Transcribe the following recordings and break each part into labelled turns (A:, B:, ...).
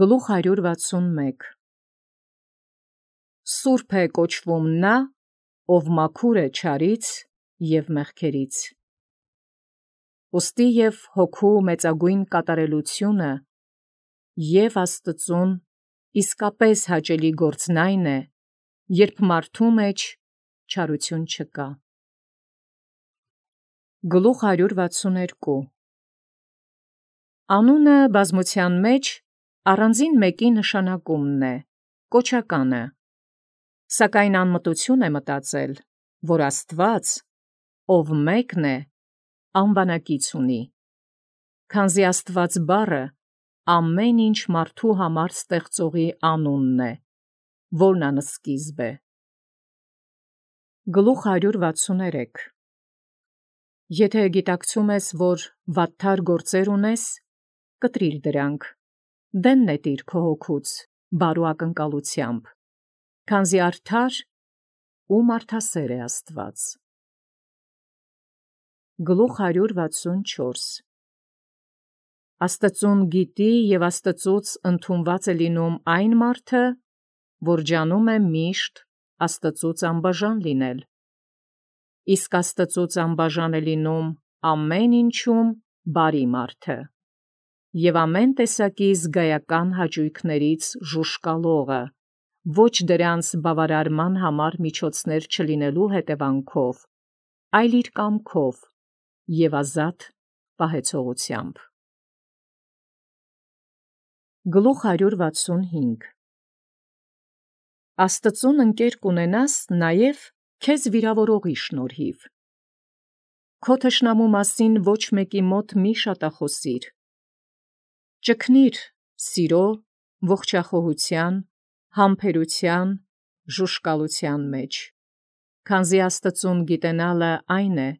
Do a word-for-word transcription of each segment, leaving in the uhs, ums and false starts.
A: Գլուխ հարյուր վաթսունմեկ Սուրբ է կոչվում նա, ով մաքուր է չարից և մեղքերից։ Ուստի և հոգու մեծագույն կատարելությունը և Աստծուն իսկապես հաճելի գործն այն է, երբ մարդու մեջ չարություն չկա։ Գլուխ հարյուր վաթսուներկու Անունը բազմության մեջ առանձին մեկի նշանակումն է, կոչականը, սակայն անմտություն է մտածել, որ Աստված, ով մեկն է, անվանակից ունի, քանզի Աստված բառը ամեն ինչ մարդու համար ստեղծողի անունն է, որն անսկիզբ է։ Գլուխ հարյուր վաթսուներեք Եթե գիտակցում ես, որ վատթար գործեր ունես, կտրիր դրանք, դեն նետիր քո հոգուց, բարու ակնկալությամբ, քանզի արդար ու մարդասեր է Աստված։ Գլուխ հարյուր վաթսունչորս Աստծուն գիտի և Աստծուց ընդունված է լինում այն մարդը, որ ջանում է միշտ Աստծուց անբաժան լինել, իսկ Աստծուց անբաժան է լինում ամեն ինչում բարի մարդը և ամեն տեսակի զգայական հաճույքներից ժուժկալողը, ոչ դրանց բավարարման համար միջոցներ չլինելու հետևանքով, այլ իր կամքով և ազատ պահեցողությամբ։ Գլուխ հարյուր վաթսունհինգ Աստծուն ընկեր կունենաս նաև քեզ վիրավորողի շնորհիվ։ Քո թշնամու մասին ոչ մեկի մոտ մի շատախոսիր։ Ճգնիր սիրո, ողջախոհության, համբերության, ժուժկալության մեջ, քանզի Աստծուն գիտենալը այն է,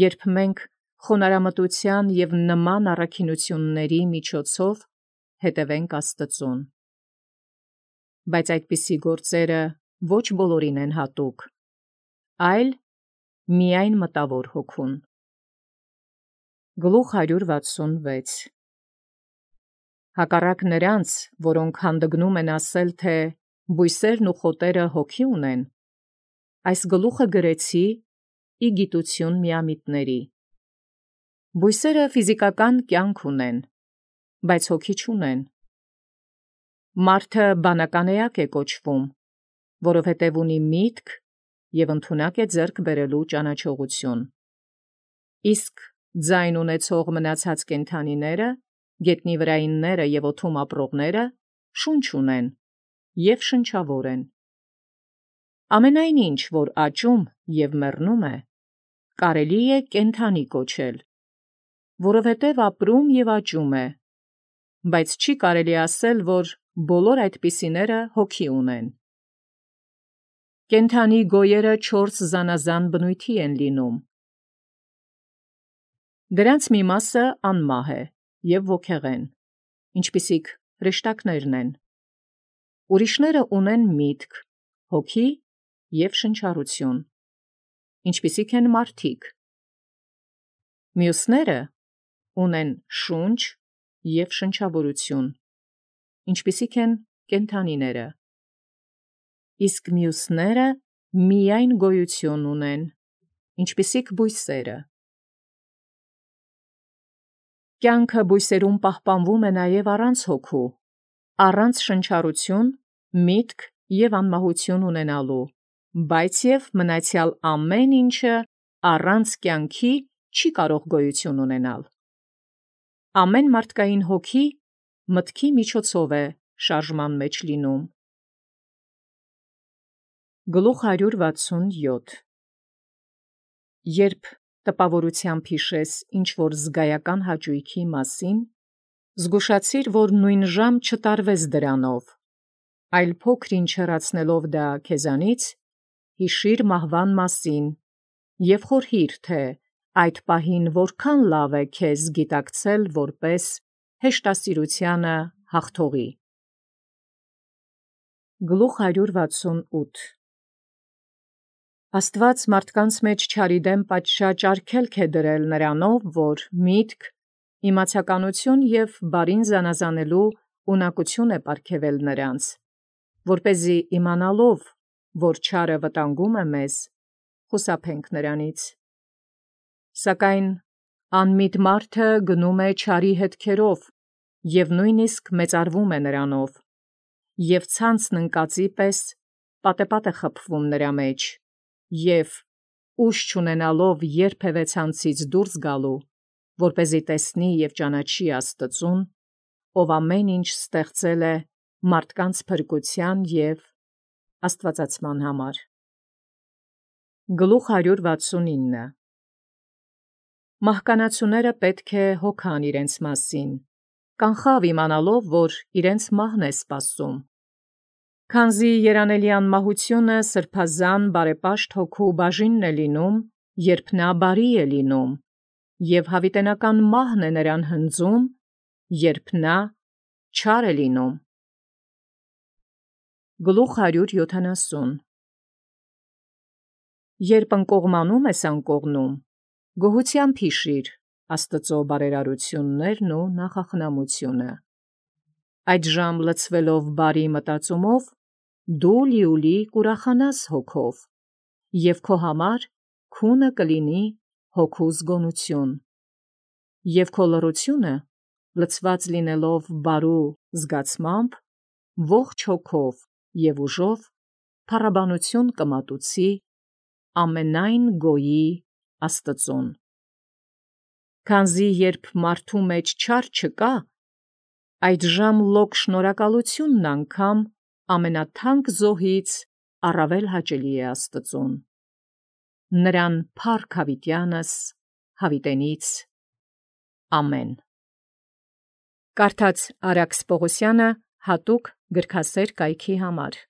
A: երբ մենք խոնարհամտության և նման առաքինությունների միջոցով հետևենք Աստծուն։ Բայց այդպիսի գործերը ոչ բոլորին են հատուկ, այլ միայն մտավոր հոգուն։ Գլուխ հարյուր վաթսունվեց Հակառակ նրանց, որոնք հանդգնում են ասել, թե բույսերն ու խոտերը հոգի ունեն, այս գլուխը գրեցի ի գիտություն միամիտների։ Բույսերը ֆիզիկական կյանք ունեն, բայց հոգի չունեն։ Մարդը բանական էակ է կոչվում, որովհետև ունի միտք և ընդունակ է ձեռք բերելու ճանաչողություն։ Իսկ ձայն ունեցող մնացած կենդանիները, գետնի վրայինները և օդում ապրողները շունչ ունեն և շնչավոր են։ Ամենայն ինչ, որ աճում և մեռնում է, կարելի է կենդանի կոչել, որովհետև ապրում և աճում է, բայց չի կարելի ասել, որ բոլոր այդպիսիները հոգի ունեն։ Կենդանի գոյերը չորս զանազան բնույթի են լինում։ Դրանց մի մասը անմահ է և ոգեղեն, ինչպիսիք հրեշտակներն են։ Ուրիշները ունեն միտք, հոգի և շնչառություն, ինչպիսիք են մարդիկ։ Մյուսները ունեն շունչ և շնչավորություն, ինչպիսիք են կենդանիները, իսկ մյուսները միայն գոյություն ունեն, ինչպիսիք բույսերը։ Կյանքը բույսերում պահպանվում է նաև առանց հոգու, առանց շնչառություն, միտք և անմահություն ունենալու, բայց և մնացյալ ամեն ինչը առանց կյանքի չի կարող գոյություն ունենալ։ Ամեն մարդկային հոգի մտքի միջոցով է շարժման մեջ լինում։ Գլուխ հարյուր վաթսունյոթ Երբ տպավորությամբ հիշես ինչ-որ զգայական հաճույքի մասին, զգուշացիր, որ նույն ժամ չտարվես դրանով, այլ փոքր-ինչ հեռացնելով դա քեզանից, հիշիր մահվան մասին և խորհիր, թե այդ պահին որքան լավ է քեզ գիտակցել որպես հեշտասիրությանը հաղթողի։ Գլուխ հարյուր վաթսունութ Աստված մարդկանց մեջ չարի դեմ պատշաճ արգելք է դրել նրանով, որ միտք, իմացականություն և բարին զանազանելու ունակություն է պարգևել նրանց, որպեսզի իմանալով, որ չարը վտանգում է մեզ, խուսափենք նրանից։ Սակայն անմիտ մարդը գնում է չարի հետքերով և նույնիսկ մեծարվում է նրանով, և ցանցն ընկածի պես պատեպատ է խփվում նրա մեջ, և ուժ չունենալով երբևէ ցանցից դուրս գալու, որպեսզի տեսնի և ճանաչի Աստծուն, ով ամեն ինչ ստեղծել է մարդկանց փրկության և աստվածացման համար։ Գլուխ հարյուր վաթսունինը Մահկանացուները պետք է հոգան իրենց մասին, կանխավ իմանալով, որ իրենց մահն է սպասում։ Քանզի երանելեան մահությունը սրբազան բարեպաշտ հոգու բաժինն է լինում, երբ նա բարի է լինում, և հավիտենական մահն է նրան հնձում, երբ նա չար է լինում։ Գլուխ հարյուր յոթանասուն Երբ ընկողմանում ես անկողնում, գոհությամբ հիշիր Աստծո բարերարություններն ու նախախնամությունը։ Այդժամ լցվելով բարի մտածումով, դու լիուլի կուրախանաս հոգով, և քո համար քունը կլինի հոգու զգոնություն, և քո լռությունը, լցված լինելով բարու զգացմամբ, ողջ հոգով և ուժով փառաբանություն կմատուցի ամենայն գոյի Աստծուն։ Քանզի երբ մարդու մեջ չար չկա, այդժամ լոկ շնորհակալությունն անգամ ամենաթանկ զոհից առավել հաճելի է Աստծուն։ Նրան փառք հավիտյանս հավիտենից։ Ամեն։ Կարդաց Արաքս Պողոսյանը հատուկ գրքասեր կայքի համար։